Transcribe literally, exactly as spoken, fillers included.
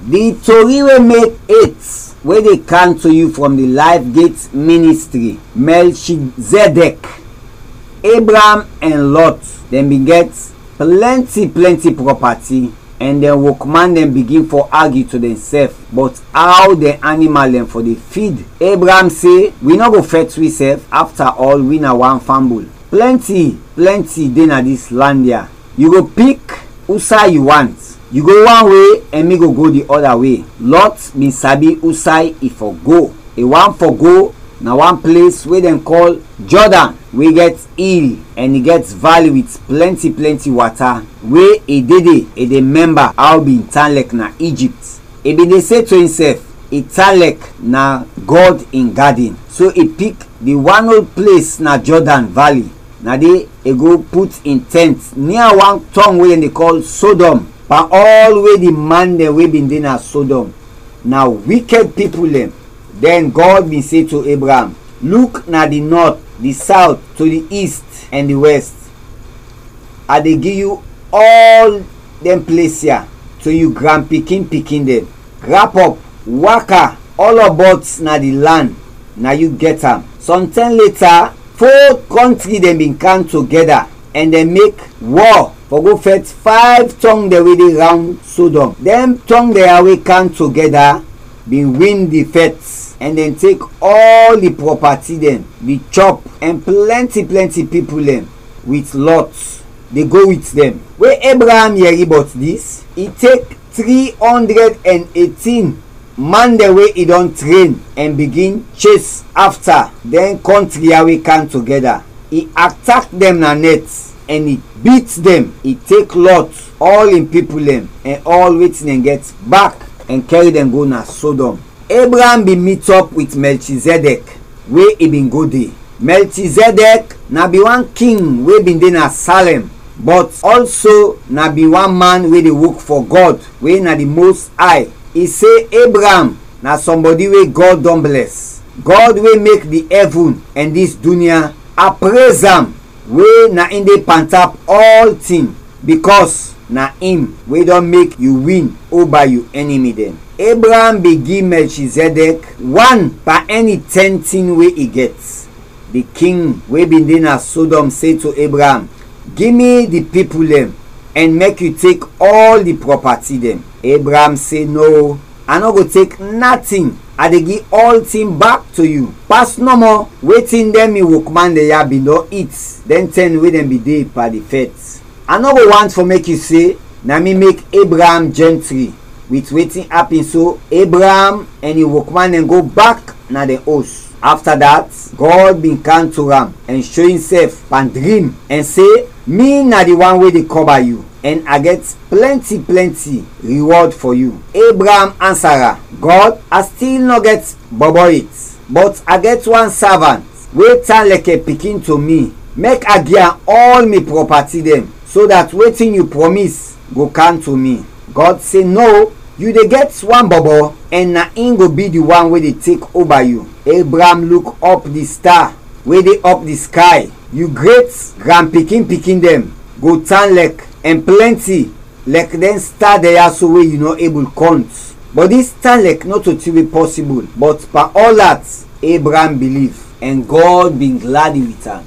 Di tori we mek et we dey kam to yu from di Life Gate Ministry. Melchizedek. Abraham and Lot, dem bin get plenty plenty property, and dɛn wokman dɛn bigin fɔ argue to dɛnsɛf bɔt aw dɛn animal dɛn fɔ de feed. Abraham se, wi nɔ go fɛt wisɛf, afta ɔl wi na wan fambul. Plenty plenty de na dis land ya. Yu go pik usay yu want. Yu go wan we, ɛn mi go go di ɔda we. Lot bin sabi usay i fɔ go. I want fɔ go na wan ples we dɛn kɔl Jɔdan, we gɛt il ɛn i gɛt vali wit plɛnti plɛnti wata, we i de de i de mɛmba aw bin tan lɛk na Ijipt. I bin de se to insɛf, i tan lɛk na Gɔd in gadin. So i pik di wan ol ples na Jɔdan vali, na de i go put in tɛnt nia wan tɔng we dɛn de kɔl Sodɔm. Pan ɔl we di man dɛn we bin de na Sodɔm na wikɛd pipul dɛn. Dɛn Gɔd bin se to Abraham, luk na di nɔt, di sawt, to di ist ɛn di wɛst. A de gi yu ɔl dɛn ples ya to yu granpikin-pikin dɛn. Grapɔp, waka, ɔlɔbɔt na di lan, na yu gɛt am. Sɔntɛm leta, fo kɔntri dɛn bin kam togɛda ɛn dɛn mek wɔ fɔ go fɛt fayv tɔng dɛn we de rawnd Sodɔm. Dɛn tɔng dɛn ya we kam togɛda bin win di fɛt, ɛn dɛn tek ɔl di prɔpati dɛn, di chɔp, ɛn plɛnti plɛnti pipul dɛn wit Lɔt de go wit dɛn. We Ebraam yɛri bɔt dis, i tek tri ɔndrɛd ɛn etin man dɛn we i dɔn tren ɛn bigin ches afta dɛn kɔntri ya we kam togɛda. I atak dɛn na nɛt ɛn i bit dɛn. I tek Lɔt, ɔl in pipul dɛn, ɛn ɔl wetin dɛn gɛt bak ɛn kɛri dɛn go na Sodɔm. Ebraam bin mitɔp wit Mɛlchizɛdɛk we i bin go de. Mɛlchizɛdɛk na bin wan king we bin de na Salɛm, bɔt ɔlso na bin wan man we de wok fɔ Gɔd, we na di Most Ay. I se Ebraam na sɔmbɔdi we Gɔd dɔn blɛs. Gɔd we mek di ɛvul ɛn dis dunya, a prez am, we na in de pantap ɔltin, bikɔs na in we dɔn mek yu win oba yu ɛnimi dɛn. Ebraam bin gi Mɛlchizɛdɛk wan pan ɛni tɛn tin we i gɛt. Di king we bin de na Sodɔm se to Ebraam, gi mi di pipul dɛn ɛn mek yu tek ɔl di prɔpati dɛn. Ebraam se, no, a nɔ go tek natin, a de gi ɔltin bak to yu, pas nɔmɔ wetin dɛn mi wokman dɛn ya bin dɔn it dɛn tɛm we dɛn bin de pan di fɛt. A nɔ go want fɔ mek yu se na mi mek Ebraam jɛntri wit wetin apin, so Ebraam ɛn in wokman dɛn go bak na dɛn os. Afta dat, Gɔd bin kam to am ɛn sho insɛf pan drim ɛn se, mi na di wan we de kɔba yu, ɛn a gɛt plɛnti plɛnti riwɔd fɔ yu. Ebraam ansa am, Gɔd, a stil nɔ gɛt bɔbɔ yet, bɔt a gɛt wan savant we tan lɛkɛ pikin to mi, mek a gi am ɔl mi prɔpati dɛn, so dat wetin yu prɔmis go kam to mi. Gɔd se, no, yu de gɛt wan bɔbɔ, ɛn na in go bi di wan we de tek oba yu. Ebraam luk ɔp di sta we de ɔp di skay. Yu gret granpikin-pikin dɛn go tan lɛk ɛn plɛnti lɛk dɛn sta dɛn ya so we yu nɔ ebul kɔnt. Bɔt dis tan lɛk nɔto tin we pɔsibul, bɔt pan ɔl dat, Ebraam biliv, ɛn Gɔd bin gladi wit am.